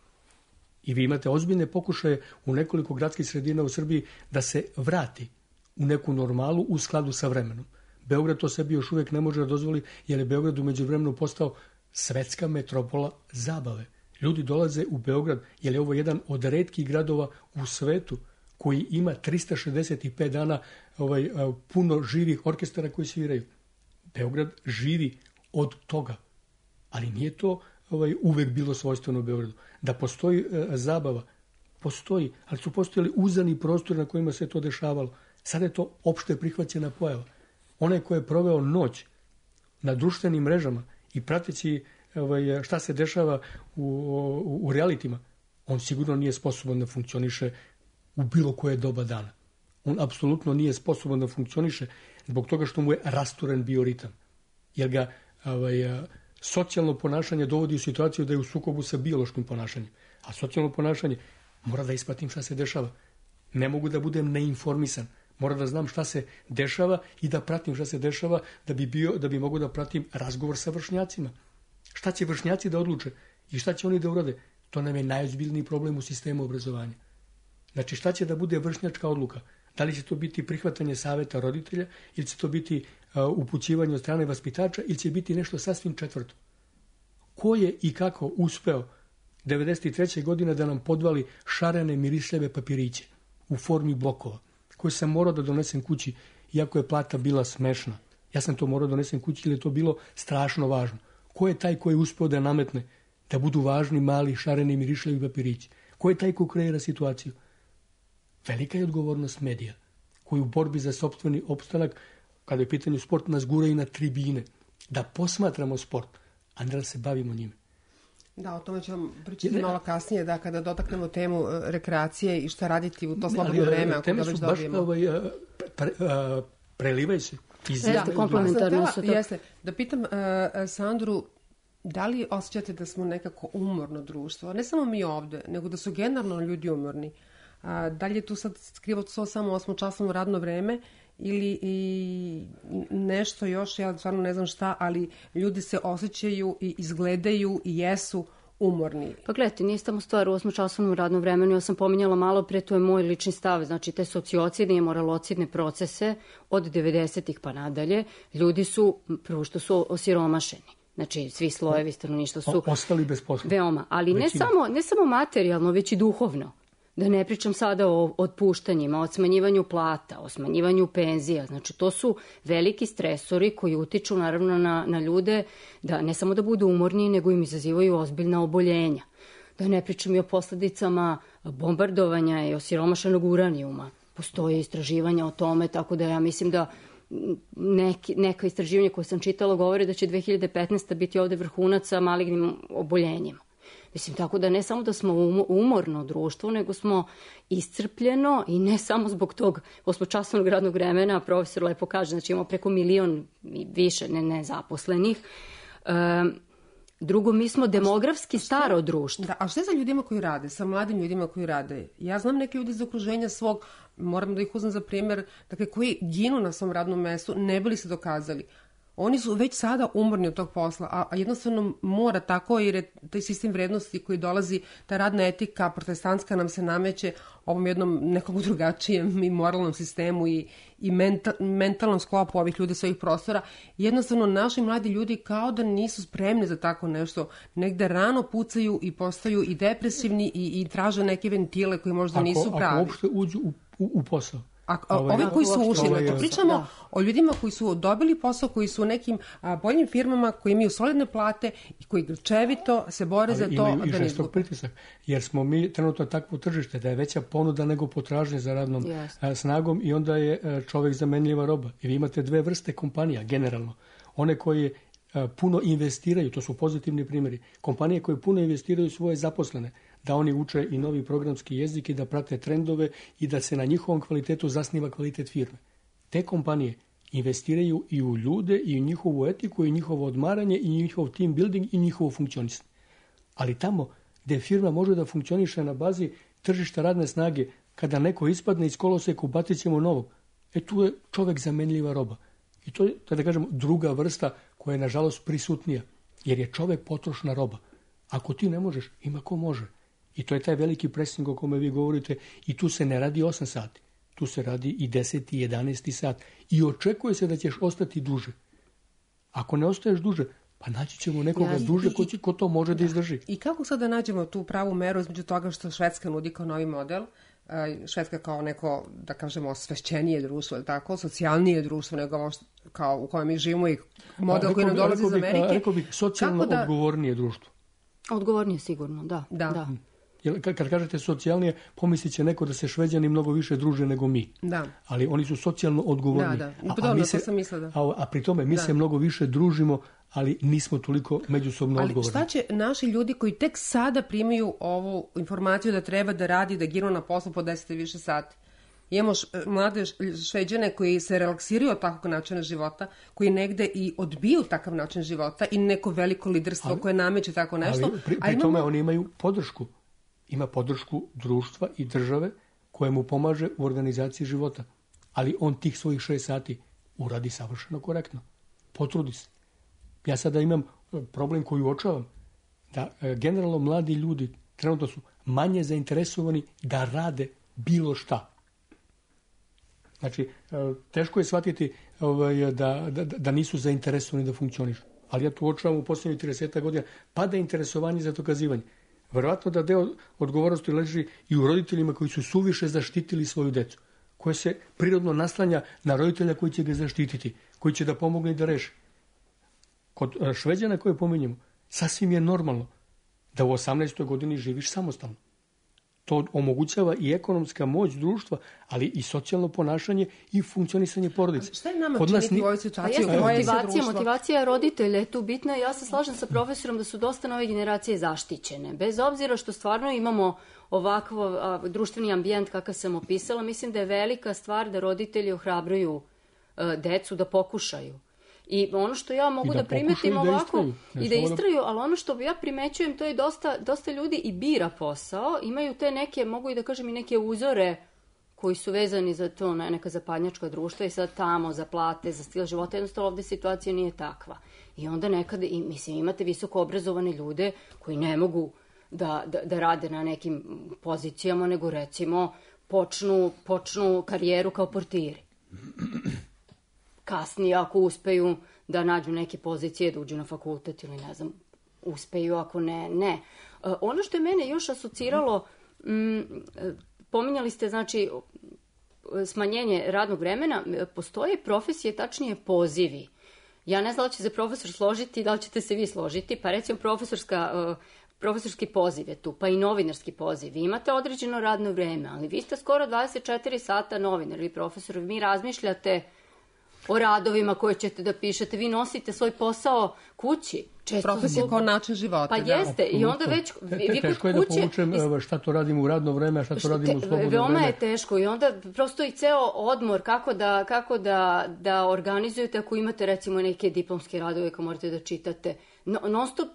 I vi imate ozbiljne pokušaje u nekoliko gradskih sredina u Srbiji da se vrati u neku normalu u skladu sa vremenom. Beograd to sebi još uvijek ne može da dozvoli, jer je Beograd u međuvremenu postao svetska metropola zabave. Ljudi dolaze u Beograd, jer je ovo jedan od retkih gradova u svetu koji ima 365 dana puno živih orkestara koji sviraju. Beograd živi od toga, ali nije to uvek bilo svojstveno u Beogradu. Da postoji zabava, postoji, ali su postojali uzani prostori na kojima se to dešavalo. Sada je to opšte prihvaćena pojava. Onaj ko je proveo noć na društvenim mrežama i prateći šta se dešava u realitima, on sigurno nije sposoban da funkcioniše u bilo koje doba dana. On apsolutno nije sposoban da funkcioniše zbog toga što mu je rasturen bioritam. Jer ga socijalno ponašanje dovodi u situaciju da je u sukobu sa biološkim ponašanjem. A socijalno ponašanje mora da ispratim šta se dešava. Ne mogu da budem neinformisan. Mora da znam šta se dešava i da pratim šta se dešava da bi mogu da pratim razgovor sa vršnjacima. Šta će vršnjaci da odluče i šta će oni da urade? To nam je najozbiljniji problem u sistemu obrazovanja. Znači, šta će da bude vršnjačka odluka? Da li će to biti prihvatanje saveta roditelja ili će to biti upućivanje od strane vaspitača ili će biti nešto sasvim četvrto? Ko je i kako uspeo 93. godine da nam podvali šarene mirisljave papiriće u formi blokova koje sam morao da donesem kući iako je plata bila smešna? Ja sam to morao da donesem kući jer je to bilo strašno važno. Ko je taj koji je uspeo da nametne da budu važni mali šareni mirišljavi papirići? Ko je taj ko kreira situaciju? Velika je odgovornost medija, koji u borbi za sopstveni opstanak, kada je pitanje sport, nas gura i na tribine, da posmatramo sport, a ne da se bavimo njime. Da, o tome ćemo pričati malo kasnije, da kada dotaknemo temu rekreacije i šta raditi u to slobodno vreme. Teme su baš prelivaju se. Komplementarno su to. Jeste. Da pitam Sandru, da li osjećate da smo nekako umorno društvo? Ne samo mi ovde, nego da su generalno ljudi umorni. Da li je tu sad skrivo to samo 8-časovno radno vreme ili i nešto još, ja stvarno ne znam šta, ali ljudi se osjećaju i izgledaju i jesu umorni. Pa gledajte, nije samo stvar u 8-časovnom radnom vremenu, ja sam pominjala malo pre, to je moj lični stav, znači te sociocidne i moralocidne procese od 90-ih pa nadalje, ljudi su, prvo što su osiromašeni. Znači, svi slojevi stanovništva su ostali bez posla. Veoma, ali ne samo materijalno, već i duhovno. Da ne pričam sada o otpuštanjima, o smanjivanju plata, o smanjivanju penzija. Znači, to su veliki stresori koji utiču naravno na ljude da ne samo da budu umorni, nego im izazivaju ozbiljna oboljenja. Da ne pričam i o posledicama bombardovanja i osiromašenog uranijuma. Postoje istraživanja o tome, tako da ja mislim da neka istraživanja koje sam čitala govore da će 2015. biti ovde vrhunac sa malignim oboljenjima. Mislim, tako da ne samo da smo umorno društvo, nego smo iscrpljeno i ne samo zbog tog 8-časovnog radnog vremena, profesor lepo kaže, znači imamo preko 1 milion i više nezaposlenih. Drugo, mi smo demografski staro društvo. Da, a šta je sa ljudima koji rade, sa mladim ljudima koji rade? Ja znam neke ljudi iz okruženja svog, moram da ih uzmem za primjer, dakle, koji ginu na svom radnom mestu, ne bili se dokazali. Oni su već sada umorni od tog posla, a jednostavno mora tako, jer je taj sistem vrednosti koji dolazi, ta radna etika protestantska nam se nameće ovom jednom nekog drugačijem i moralnom sistemu i mentalnom sklopu ovih ljudi sa ovih prostora. Jednostavno, naši mladi ljudi kao da nisu spremni za tako nešto. Negde rano pucaju i postaju i depresivni i traže neke ventile koji možda nisu pravi. Ako uopšte uđu u posao. Ovi koji su ušli, pričamo o ljudima koji su dobili posao, koji su u nekim boljim firmama, koji imaju solidne plate i koji grčevito se bore za to da ne izgube. I žestok pritisak, jer smo mi trenutno takvo tržište da je veća ponuda nego potražnja za radnom snagom i onda je čovek zamenljiva roba. I vi imate dve vrste kompanija, generalno. One koje puno investiraju, to su pozitivni primjeri, kompanije koje puno investiraju svoje zaposlene, da oni uče i novi programski jezik i da prate trendove i da se na njihovom kvalitetu zasniva kvalitet firme. Te kompanije investiraju i u ljude i u njihovu etiku i njihovo odmaranje i njihov team building i njihovo funkcionisanje. Ali tamo gde firma može da funkcioniše na bazi tržišta radne snage, kada neko ispadne iz koloseka, ubacit ćemo novog. Tu je čovek zamenljiva roba. I to je, da kažemo, druga vrsta koja je nažalost prisutnija, jer je čovek potrošna roba. Ako ti ne možeš, ima ko može. I to je taj veliki pressing o kome vi govorite i tu se ne radi 8 sati. Tu se radi i 10. i 11. sat. I očekuje se da ćeš ostati duže. Ako ne ostaješ duže, pa naći ćemo nekoga duže ko to može da izdrži. I kako sad da nađemo tu pravu meru između toga što Švedska nudi kao novi model, Švedska kao neko, da kažemo, osvešćenije društvo, ili tako, socijalnije društvo nego ovo kao u kojem mi živimo i model koji nam dolazi iz Amerike. Rekao bih socijalno odgovornije društvo. Odgovornije sigurno, da. Kad kažete socijalnije, pomislit će neko da se Šveđani mnogo više druže nego mi. Da. Ali oni su socijalno odgovorni. To sam mislila, da. A pri tome mi se mnogo više družimo, ali nismo toliko međusobno odgovorni. Ali šta će naši ljudi koji tek sada primaju ovu informaciju da treba da radi, da ginu na poslu po 10 i više sati? Imamo mlade Šveđane koji se relaksiraju od takvog načina života, koji negde i odbiju takav način života i neko veliko liderstvo koje nameće tako nešto. Ali pri tome oni imaju podršku. Ima podršku društva i države koje mu pomaže u organizaciji života. Ali on tih svojih 6 sati uradi savršeno korektno. Potrudi se. Ja sada imam problem koji uočavam, da generalno mladi ljudi trenutno su manje zainteresovani da rade bilo šta. Znači, teško je shvatiti da nisu zainteresovani da funkcionišu. Ali ja tu uočavam u posljednjih 30 godina pada interesovanje za dokazivanje. Verovatno da deo odgovornosti leži i u roditeljima koji su suviše zaštitili svoju decu, koje se prirodno naslanja na roditelja koji će ga zaštititi, koji će da pomogne i da reši. Kod Šveđana koje pominjemo, sasvim je normalno da u 18. godini živiš samostalno. To omogućava i ekonomska moć društva, ali i socijalno ponašanje i funkcionisanje porodice. Šta je nama činiti u ovoj situaciji? Motivacija roditelja je tu bitna. Ja se slažem sa profesorom da su dosta nove generacije zaštićene. Bez obzira što stvarno imamo ovakav društveni ambijent kakav sam opisala, mislim da je velika stvar da roditelji ohrabruju decu da pokušaju. I ono što ja mogu da primetim ovako i da istraju, ali ono što ja primećujem, to je dosta ljudi i bira posao, imaju te neke, mogu i da kažem i neke uzore koji su vezani za to, neka zapadnjačka društva i sad tamo za plate, za stil života, jednostavno ovde situacija nije takva. I onda nekada, mislim, imate visoko obrazovane ljude koji ne mogu da rade na nekim pozicijama, nego recimo počnu karijeru kao portiri. Kasnije, ako uspeju da nađu neke pozicije, da uđu na fakultet ili ne znam, uspeju, ako ne. Ono što je mene još asociralo, pominjali ste, znači, smanjenje radnog vremena, postoje profesije, tačnije pozivi. Ja ne znam da li će se profesor složiti, da li ćete se vi složiti, pa recimo profesorski poziv je tu, pa i novinarski poziv. Vi imate određeno radno vreme, ali vi ste skoro 24 sata novinar ili profesor, vi razmišljate o radovima koje ćete da pišete, vi nosite svoj posao kući. Profesija kao način života. Pa jeste, i onda već vi teško je da povučem šta to radimo u radno vreme, a šta to radimo u slobodno vreme. Veoma je teško i onda prosto i ceo odmor kako da organizujete ako imate recimo neke diplomske radove koje morate da čitate. Non stop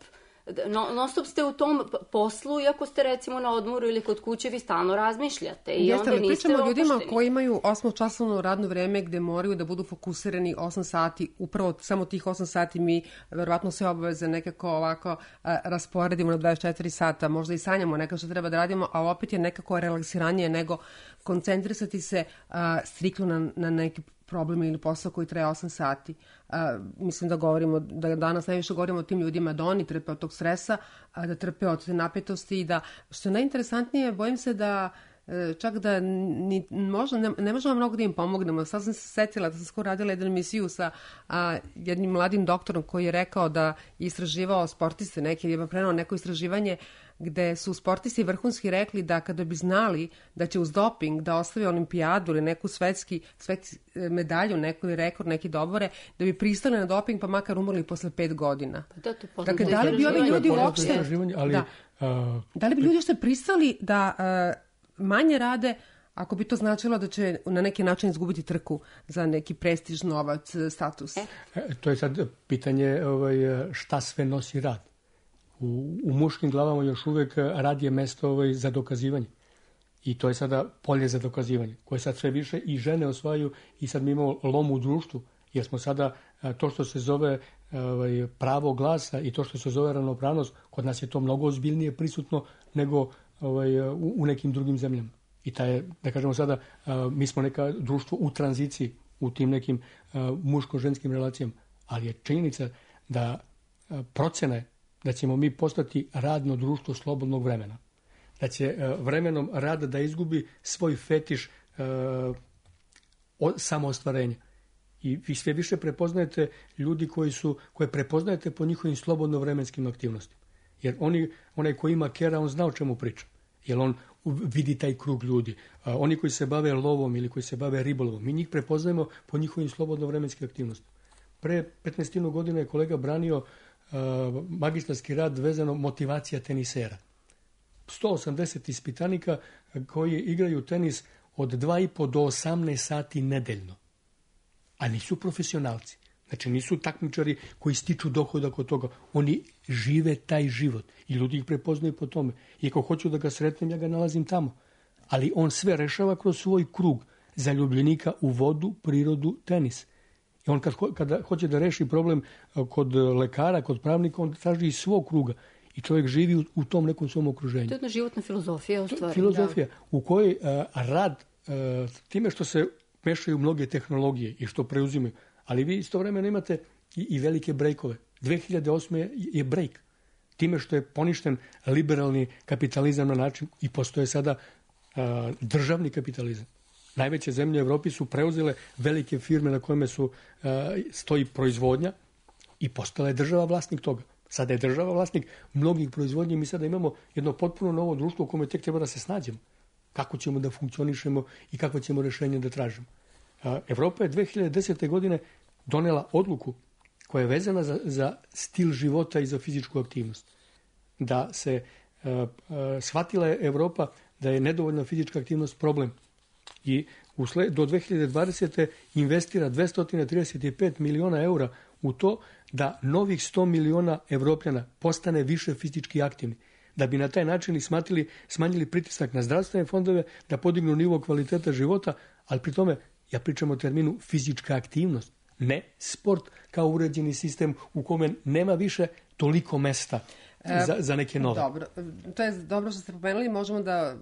non stop ste u tom poslu, iako ste recimo na odmoru ili kod kuće, vi stalno razmišljate i onda niste opušteni. Pričamo o ljudima koji imaju 8-časovno radno vreme gde moraju da budu fokusirani 8 sati, upravo samo tih 8 sati mi verovatno sve obaveze nekako ovako rasporedimo na 24 sata, možda i sanjamo nekako što treba da radimo, ali opet je nekako relaksiranije nego koncentrisati se striktno na neki problem ili posao koji traje 8 sati. Mislim da danas najviše govorimo o tim ljudima, da oni trpe od tog stresa, da trpe od te napetosti i da, što je najinteresantnije, bojim se da čak da ne možemo mnogo da im pomognemo. Sad sam se setila da sam skoro radila jednu emisiju sa jednim mladim doktorom koji je rekao da je istraživao sportiste, je prenao neko istraživanje gde su sportisti vrhunski rekli da kada bi znali da će uz doping da ostave olimpijadu ili neku svetski medalju, neki rekord, neki dobore, da bi pristali na doping pa makar umrli posle 5 godina. Dakle, da li bi ovi ljudi uopšte... Da li bi ljudi što pristali da manje rade ako bi to značilo da će na neki način izgubiti trku za neki prestiž, novac, status? To je sad pitanje šta sve nosi rad. U muškim glavama još uvek rad je mesto za dokazivanje. I to je sada polje za dokazivanje, koje sad sve više i žene osvajaju i sad mi imamo lom u društvu, jer smo sada to što se zove pravo glasa i to što se zove ravnopravnost, kod nas je to mnogo ozbiljnije prisutno nego u nekim drugim zemljama. I da kažemo sada, mi smo neka društvo u tranziciji u tim nekim muško-ženskim relacijama, ali je činjenica da procene da ćemo mi postati radno društvo slobodnog vremena. Da će vremenom rada da izgubi svoj fetiš samoostvarenja. I vi sve više prepoznajete ljudi koje prepoznajete po njihovim slobodno vremenskim aktivnostima. Jer onaj koji ima kera, on zna o čemu priča. Jer on vidi taj krug ljudi. Oni koji se bave lovom ili koji se bave ribolovom, mi njih prepoznajemo po njihovim slobodno vremenskim aktivnostima. Pre 15 godina je kolega branio magistarski rad vezano motivacija tenisera. 180 ispitanika koji igraju tenis od 2,5 do 18 sati nedeljno. A nisu profesionalci. Znači nisu takmičari koji stiču dohodak od toga. Oni žive taj život i ljudi ih prepoznaju po tome. I ako hoću da ga sretnem, ja ga nalazim tamo. Ali on sve rešava kroz svoj krug zaljubljenika u vodu, prirodu, tenis. I on kada hoće da reši problem kod lekara, kod pravnika, on traži iz svog kruga. I čovjek živi u tom nekom svom okruženju. To je jedna životna filozofija u stvari. Filozofija u kojoj rad, time što se mešaju mnoge tehnologije i što preuzimaju, ali vi istovremeno imate i velike brejkove. 2008. je brejk. Time što je poništen liberalni kapitalizam na način i postoje sada državni kapitalizam. Najveće zemlje u Evropi su preuzele velike firme na kojima stoji proizvodnja i postala je država vlasnik toga. Sada je država vlasnik mnogih proizvodnje i mi sada imamo jedno potpuno novo društvo u kome tek treba da se snađemo. Kako ćemo da funkcionišemo i kako ćemo rešenje da tražimo. Evropa je 2010. godine donela odluku koja je vezana za stil života i za fizičku aktivnost. Da se shvatila je Evropa da je nedovoljna fizička aktivnost problem. I do 2020. investira 235 miliona eura u to da novih 100 miliona Evropljana postane više fizički aktivni. Da bi na taj način smanjili pritisak na zdravstvene fondove, da podignu nivo kvaliteta života, ali pri tome ja pričam o terminu fizička aktivnost, ne sport kao uređeni sistem u kome nema više toliko mesta za neke nove. Dobro, to je dobro što ste pomenuli, možemo da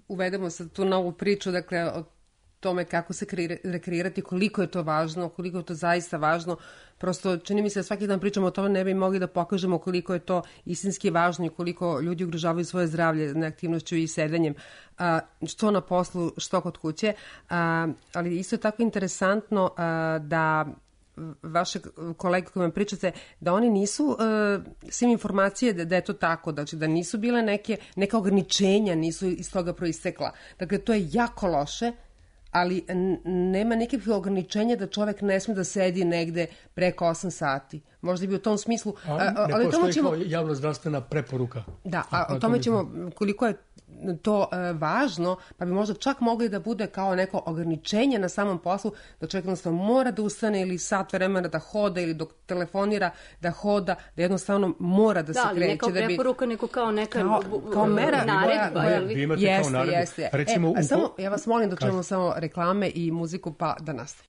uvedemo sad tu novu priču, dakle, o tome kako se rekreirati, koliko je to važno, koliko je to zaista važno. Prosto čini mi se da svaki dan pričamo o tome, ne bi mogli da pokažemo koliko je to istinski važno i koliko ljudi ugrožavaju svoje zdravlje neaktivnošću i sedenjem, što na poslu, što kod kuće. Ali isto je tako interesantno da vaše kolege koje vam pričate, da oni nisu svim informacije da je to tako, znači da nisu bile neka ograničenja, nisu iz toga proistekla. Dakle, to je jako loše, ali nema nekih ograničenja da čovek ne sme da sedi negde preko 8 sati. možda bi u tom smislu... Ne postoji kao javno zdravstvena preporuka. Da, a o tome ćemo, koliko je to važno, pa bi možda čak mogli da bude kao neko ograničenje na samom poslu, da čovjek jednostavno mora da ustane ili sat vremena da hoda ili dok telefonira da hoda, da jednostavno mora da se kreće. Da, ne kao preporuka, nego kao neka kao mera naredba. Vi imate kao naredbu. Jeste. Recimo, samo, ja vas molim da čujemo samo reklame i muziku, pa da nastavimo.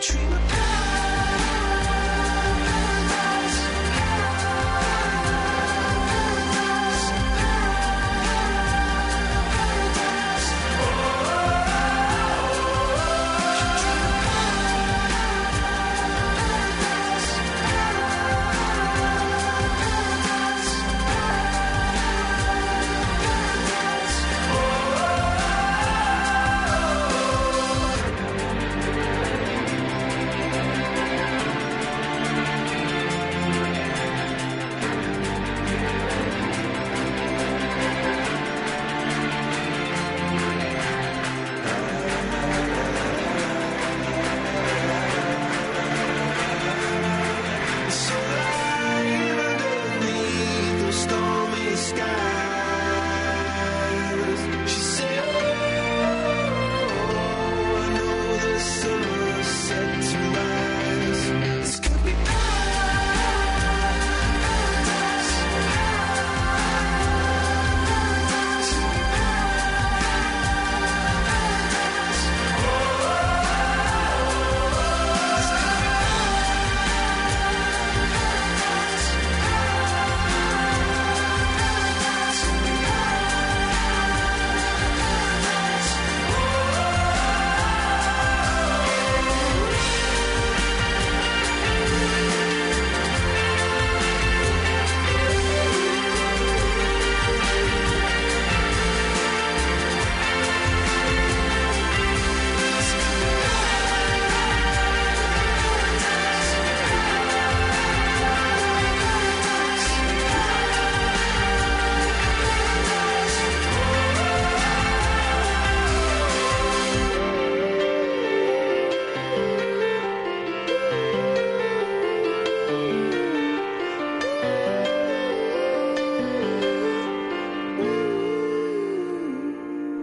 Dream of paradise.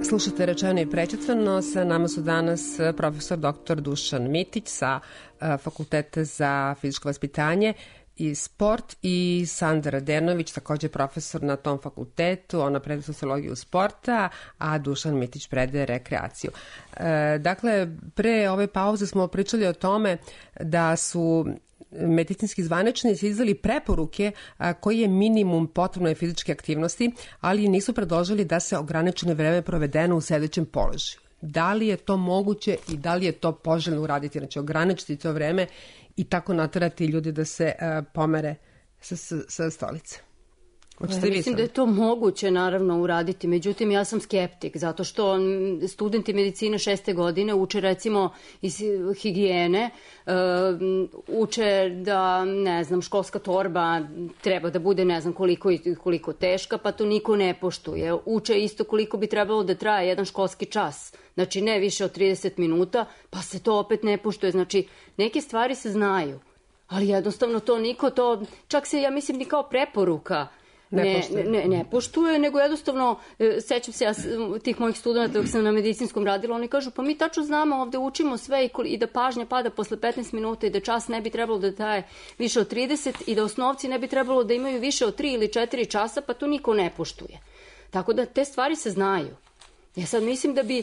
Slušate Rečeno i prećutvano. Sa nama su danas profesor dr. Dušan Mitić sa Fakulteta za fizičko vaspitanje i sport i Sandra Radenović, takođe profesor na tom fakultetu. Ona predaje sociologiju sporta, a Dušan Mitić predaje rekreaciju. Dakle, pre ove pauze smo pričali o tome da su medicinski zvaničnici izdali preporuke koji je minimum potrebne fizičke aktivnosti, ali nisu predložili da se ograničeno vreme provedeno u sedećem položaju. Da li je to moguće i da li je to poželjno uraditi? Znači, ograničiti to vreme i tako naterati ljudi da se pomere sa stolice. Mislim da je to moguće naravno uraditi, međutim ja sam skeptik, zato što studenti medicine 6. godine uče recimo iz higijene, uče da, ne znam, školska torba treba da bude ne znam koliko teška, pa to niko ne poštuje. Uče isto koliko bi trebalo da traje jedan školski čas, znači ne više od 30 minuta, pa se to opet ne poštuje. Znači, neke stvari se znaju, ali jednostavno to niko, to čak se, ja mislim, ni kao preporuka ne poštuje, nego jednostavno, sećam se ja tih mojih studenta dok sam na medicinskom radila, oni kažu pa mi tačno znamo, ovde učimo sve i da pažnja pada posle 15 minuta i da čas ne bi trebalo da traje više od 30 i da osnovci ne bi trebalo da imaju više od 3 ili 4 časa, pa to niko ne poštuje. Tako da te stvari se znaju. Ja sad mislim da bi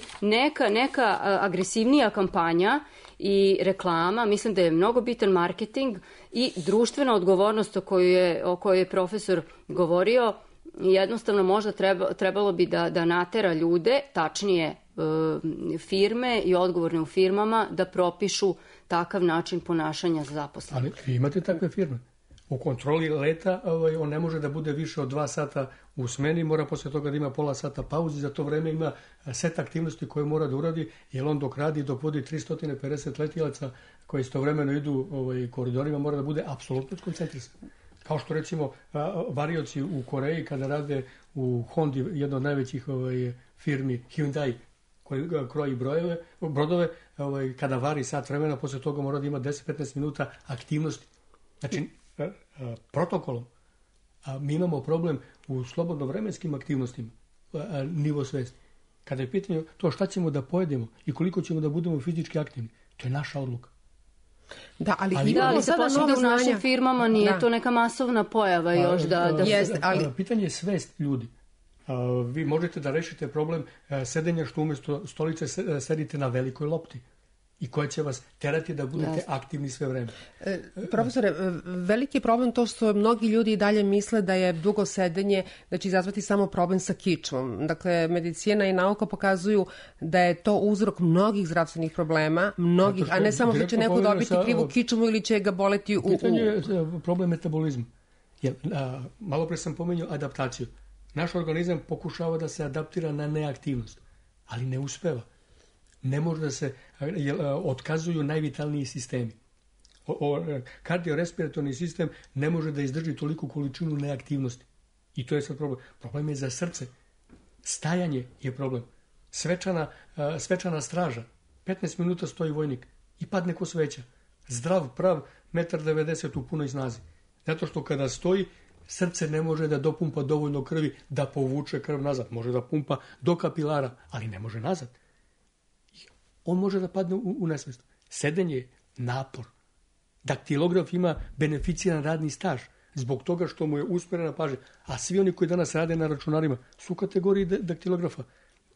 neka agresivnija kampanja i reklama, mislim da je mnogo bitan marketing i društvena odgovornost o kojoj je profesor govorio, jednostavno možda trebalo bi da natera ljude, tačnije firme i odgovorne u firmama, da propišu takav način ponašanja za zaposlene. Ali vi imate takve firme. U kontroli leta on ne može da bude više od 2 sata u smeni, mora posle toga da ima pola sata pauzi, za to vreme ima set aktivnosti koje mora da uradi, jer on dok vodi 350 letilaca koji istovremeno idu koridorima, mora da bude apsolutno skoncentrisan. Kao što recimo varioci u Koreji kada rade u Hondi, jedno od najvećih firmi Hyundai, koji kroji brodove, kada vari sat vremena, posle toga mora da ima 10-15 minuta aktivnosti. Znači, protokolom. A mi imamo problem u slobodno vremenskim aktivnostima, nivo svesti. Kada je pitanje to šta ćemo da pojedemo i koliko ćemo da budemo fizički aktivni, to je naša odluka. Da, ali se počne da u našim firmama nije to neka masovna pojava još ali pitanje je svest ljudi. Vi možete da rešite problem sedenja što umesto stolice sedite na velikoj lopti i koja će vas terati da budete aktivni sve vreme. Profesore, veliki je problem to što mnogi ljudi i dalje misle da je dugo sedenje, da će izazvati samo problem sa kičmom. Dakle, medicina i nauka pokazuju da je to uzrok mnogih zdravstvenih problema, a ne samo što će neko dobiti krivu kičmu ili će ga boleti u... Pitanje je problem metabolizma. Malo pre sam pomenuo adaptaciju. Naš organizam pokušava da se adaptira na neaktivnost, ali ne uspeva. Ne može da se otkazuju najvitalniji sistemi. Kardiorespiratorni sistem ne može da izdrži toliku količinu neaktivnosti. I to je sad problem. Problem je za srce. Stajanje je problem. Svečana straža. 15 minuta stoji vojnik i padne ko sveća. Zdrav, prav, 1,90 m u punoj snazi. Zato što kada stoji, srce ne može da dopumpa dovoljno krvi da povuče krv nazad. Može da pumpa do kapilara, ali ne može nazad. On može da padne u nesvest. Sedenje je napor. Daktilograf ima beneficiran radni staž zbog toga što mu je usmerena pažnja. A svi oni koji danas rade na računarima su u kategoriji daktilografa.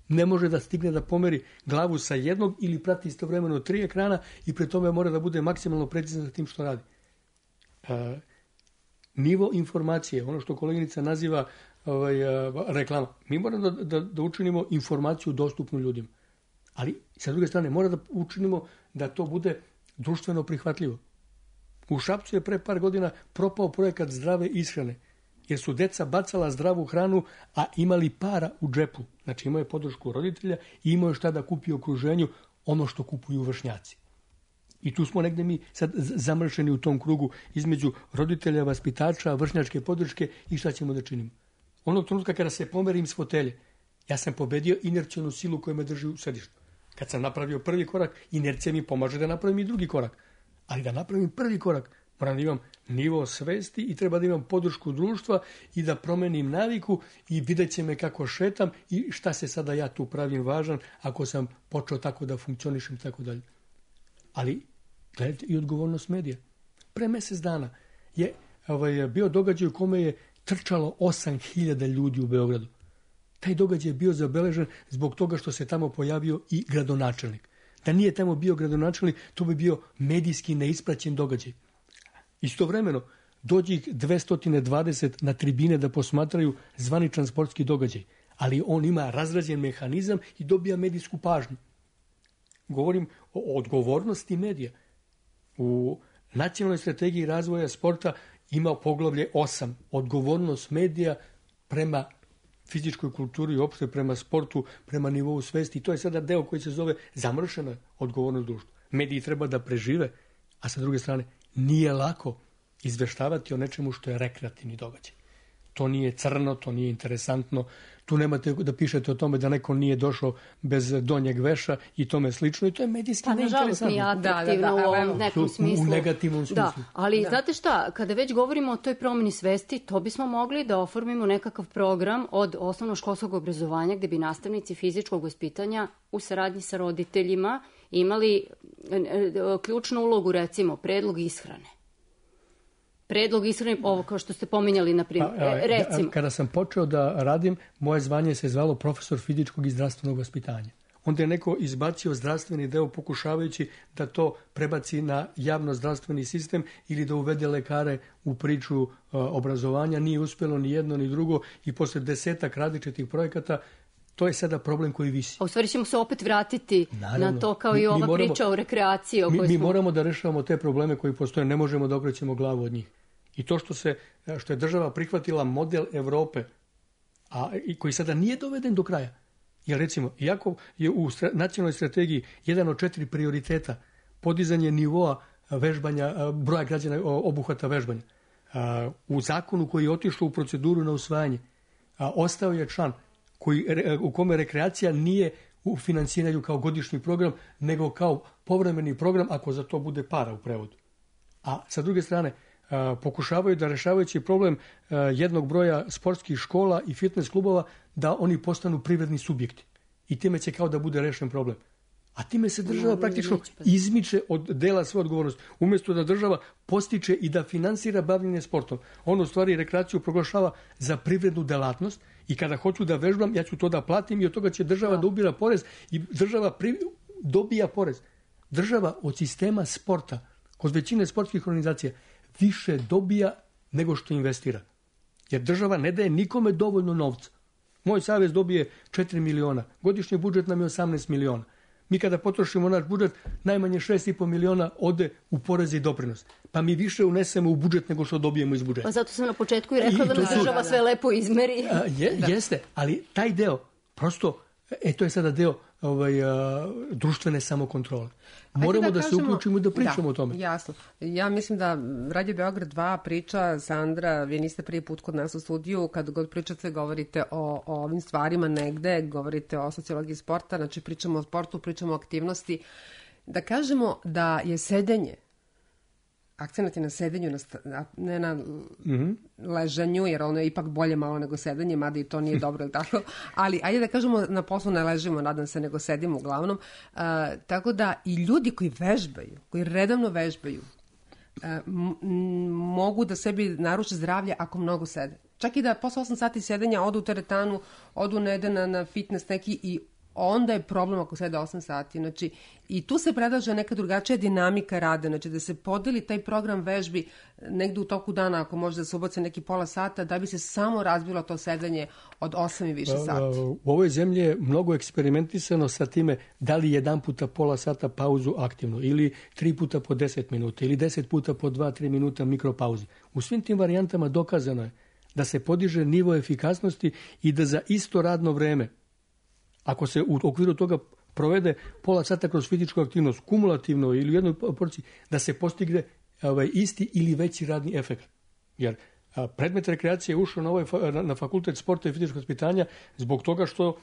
Ne može da stigne da pomeri glavu sa jednog ili prati istovremeno 3 ekrana i pre tome mora da bude maksimalno precizan sa tim što radi. Nivo informacije, ono što koleginica naziva reklama. Mi moramo da učinimo informaciju dostupnu ljudima. Ali, sa druge strane, mora da učinimo da to bude društveno prihvatljivo. U Šapcu je pre par godina propao projekat zdrave ishrane, jer su deca bacala zdravu hranu, a imali para u džepu. Znači, imao je podršku roditelja i imao je šta da kupi u okruženju, ono što kupuju vršnjaci. I tu smo negde mi sad zamršeni u tom krugu između roditelja, vaspitača, vršnjačke podrške i šta ćemo da činimo. Onog trenutka kada se pomerim s fotelje, ja sam pobedio inercionu silu koja me drži u sedištu. Kad sam napravio prvi korak, inercija mi pomaže da napravim i drugi korak. Ali da napravim prvi korak, Moram da imam nivo svesti i treba da imam podršku društva i da promenim naviku i vidjet će me kako šetam i šta se sada ja tu pravim važan ako sam počeo tako da funkcionišem i tako dalje. Ali gledajte i odgovornost medija. Pre mjesec dana je bio događaj u kome je trčalo 8.000 ljudi u Beogradu. Taj događaj je bio zabeležen zbog toga što se tamo pojavio i gradonačelnik. Da nije tamo bio gradonačelnik, to bi bio medijski neispraćen događaj. Istovremeno, dođe ih 220 na tribine da posmatraju zvaničan sportski događaj, ali on ima razrađen mehanizam i dobija medijsku pažnju. Govorim o odgovornosti medija. U Nacionalnoj strategiji razvoja sporta ima poglavlje 8. Odgovornost medija prema fizičkoj kulturi i uopšte prema sportu, prema nivou svesti. I to je sada deo koji se zove zamršena odgovornost društva. Mediji treba da prežive, a sa druge strane nije lako izveštavati o nečemu što je rekreativni događaj. To nije crno, to nije interesantno. Tu nemate da pišete o tome da neko nije došao bez donjeg veša i tome slično. I to je medijski neinteresantno. Nije atraktivno u ovom nekom smislu. U negativnom smislu. Da, ali znate šta, kada već govorimo o toj promjeni svesti, to bismo mogli da oformimo nekakav program od osnovnoškolskog obrazovanja gdje bi nastavnici fizičkog vaspitanja u saradnji sa roditeljima imali ključnu ulogu, recimo, predlog ishrane. Predlog ishrane, ovo kao što ste pominjali, na primjer, recimo. Kada sam počeo da radim, moje zvanje se zvalo profesor fizičkog i zdravstvenog vaspitanja. Onda je neko izbacio zdravstveni deo pokušavajući da to prebaci na javno zdravstveni sistem ili da uvede lekare u priču obrazovanja. Nije uspjelo ni jedno ni drugo i posle 10 različitih projekata to je sada problem koji visi. A u stvari ćemo se opet vratiti na to kao i ova priča o rekreaciji. Mi moramo da rešavamo te probleme koji postoje, ne možemo da okrećemo glavu od njih. I to što je država prihvatila model Evrope, i koji sada nije doveden do kraja. Jer recimo, iako je u nacionalnoj strategiji jedan od 4 prioriteta podizanje nivoa vežbanja, broja građana obuhvata vežbanja, u zakonu koji je otišao u proceduru na usvajanje, ostao je član u kome rekreacija nije u finansiranju kao godišnji program, nego kao povremeni program ako za to bude para u prevodu. A sa druge strane, pokušavaju da rešavajući problem jednog broja sportskih škola i fitness klubova da oni postanu privredni subjekti. I time će kao da bude rešen problem. A time se država praktično izmiče od dela svoje odgovornosti. Umjesto da država postiče i da finansira bavljenje sportom, on u stvari rekreaciju proglašava za privrednu delatnost i kada hoću da vežbam, ja ću to da platim i od toga će država da ubira porez i država dobija porez. Država od sistema sporta, kod većine sportskih organizacija, više dobija nego što investira. Jer država ne daje nikome dovoljno novca. Moj savez dobije 4 miliona. Godišnji budžet nam je 18 miliona. Mi kada potrošimo naš budžet, najmanje 6,5 miliona ode u poreze i doprinos. Pa mi više unesemo u budžet nego što dobijemo iz budžeta. Pa zato sam na početku i rekla da nam država sve lepo izmeri. Jeste, ali taj deo, prosto, to je sada deo društvene samokontrole. Moramo da se uključimo i da pričamo o tome. Jasno. Ja mislim da Radio Beograd 2 priča, Sandra, vi niste prvi put kod nas u studiju, kad god pričate, govorite o ovim stvarima negde, govorite o sociologiji sporta, znači pričamo o sportu, pričamo o aktivnosti. Da kažemo da je sedenje, akcenat je na sedenju, ne na ležanju, jer ono je ipak bolje malo nego sedanje, mada i to nije dobro, ili tako? Ali ajde da kažemo, na poslu ne ležimo, nadam se, nego sedimo uglavnom. Tako da i ljudi koji vežbaju, koji redovno vežbaju, mogu da sebi naruče zdravlje ako mnogo sede. Čak i da posle 8 sati sedenja odu u teretanu, odu na fitness neki i onda je problem ako sede 8 sati. Znači, i tu se predlaže neka drugačija dinamika rada, znači da se podeli taj program vežbi negde u toku dana, ako može da se ubace neki pola sata, da bi se samo razbilo to sedanje od 8 i više sati. U ovoj zemlji je mnogo eksperimentisano sa time da li jedan puta pola sata pauzu aktivno, ili 3 puta po 10 minuta, ili 10 puta po 2-3 minuta mikropauze. U svim tim varijantama dokazano je da se podiže nivo efikasnosti i da za isto radno vreme, ako se u okviru toga provede pola sata kroz fizičku aktivnost, kumulativno ili u jednoj porciji, da se postigne isti ili veći radni efekt. Jer predmet rekreacije je ušao na fakultet sporta i fizičkog vaspitanja zbog toga što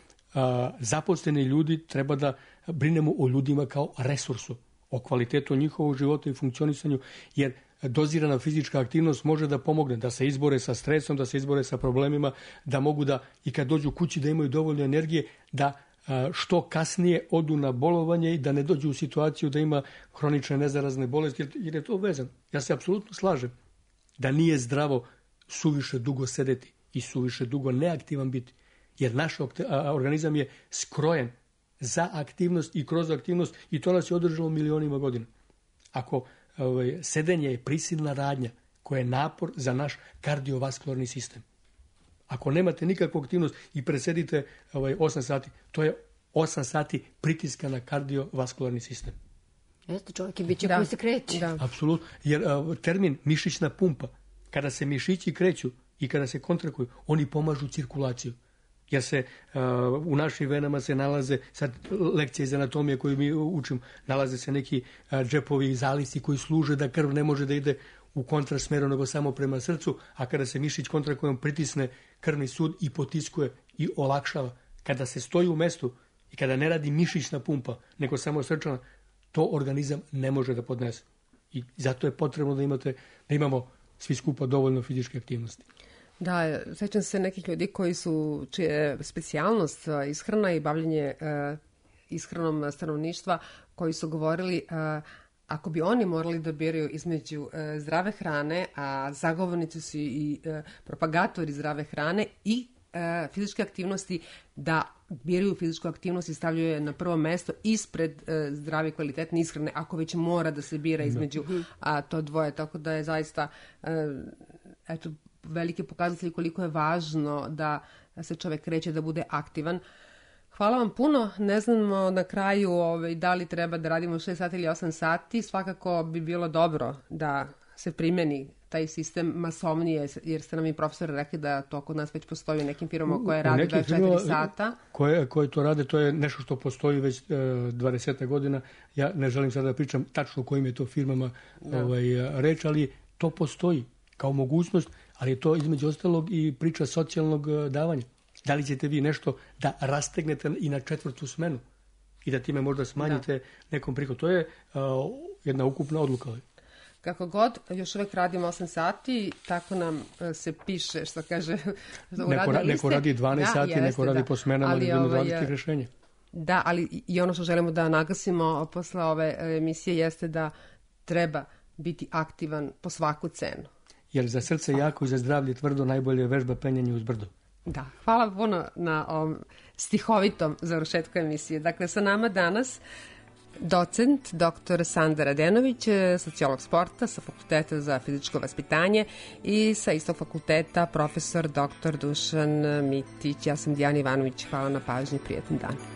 zaposleni ljudi treba da brinemo o ljudima kao resursu, o kvalitetu njihovog života i funkcionisanju, jer dozirana fizička aktivnost može da pomogne, da se izbore sa stresom, da se izbore sa problemima, da mogu da i kad dođu kući da imaju dovoljno energije, da što kasnije odu na bolovanje i da ne dođu u situaciju da ima hronične nezarazne bolesti, jer je to vezano. Ja se apsolutno slažem da nije zdravo suviše dugo sedeti i suviše dugo neaktivan biti, jer naš organizam je skrojen za aktivnost i kroz aktivnost i to nas je održalo milionima godina. Ako sedenje je prisilna radnja koja je napor za naš kardiovaskularni sistem. Ako nemate nikakvu aktivnost i presedite 8 sati, to je 8 sati pritiska na kardiovaskularni sistem. Jeste, čovjek je biće koji se kreće. Da. Apsolutno, jer termin mišićna pumpa, kada se mišići kreću i kada se kontrakuju, oni pomažu cirkulaciju. Jer se u našim venama se nalaze, sad lekcije iz anatomije koju mi učimo, nalaze se neki džepovi i zalisci koji služe da krv ne može da ide u kontrasmeru nego samo prema srcu, a kada se mišić kontrakujom pritisne krvni sud i potiskuje i olakšava. Kada se stoji u mestu i kada ne radi mišićna pumpa, nego samo srčana, to organizam ne može da podnese. I zato je potrebno da imamo svi skupa dovoljno fizičke aktivnosti. Da, sećam se nekih ljudi čija je specijalnost ishrana i bavljenje ishranom stanovništva, koji su govorili ako bi oni morali da biraju između zdrave hrane, a zagovornici su i propagatori zdrave hrane i fizičke aktivnosti, da biraju fizičku aktivnost i stavljaju je na prvo mesto ispred zdrave kvalitetne ishrane, ako već mora da se bira između to dvoje. Tako da je zaista veliki pokazatelj koliko je važno da se čovek kreće, da bude aktivan. Hvala vam puno. Ne znamo na kraju da li treba da radimo 6 sati ili 8 sati. Svakako bi bilo dobro da se primeni taj sistem masovnije, jer ste nam i profesor rekli da to kod nas već postoji u nekim firmama koje rade 24 sata. Koje to rade, to je nešto što postoji već 20 godina. Ja ne želim sada da pričam tačno kojim je to firmama reč, ali to postoji kao mogućnost, ali je to između ostalog i priča socijalnog davanja. Da li ćete vi nešto da rastegnete i na 4. smenu i da time možda smanjite nekom prihod? To je jedna ukupna odluka. Kako god, još uvek radimo 8 sati, tako nam se piše, što kaže... Neko radi 12 sati, neko radi po smenama, ali idemo različitih rešenja. Da, ali i ono što želimo da naglasimo posle ove emisije jeste da treba biti aktivan po svaku cenu. Jer za srce jako i za zdravlje tvrdo najbolje je vežba penjanje uz brdo. Da, hvala puno na ovom stihovitom završetku emisije. Dakle, sa nama danas docent dr. Sanda Radenović, sociolog sporta sa Fakulteta za fizičko vaspitanje i sa istog fakulteta profesor dr. Dušan Mitić. Ja sam Dijana Ivanović. Hvala na pažnji, prijetan dan.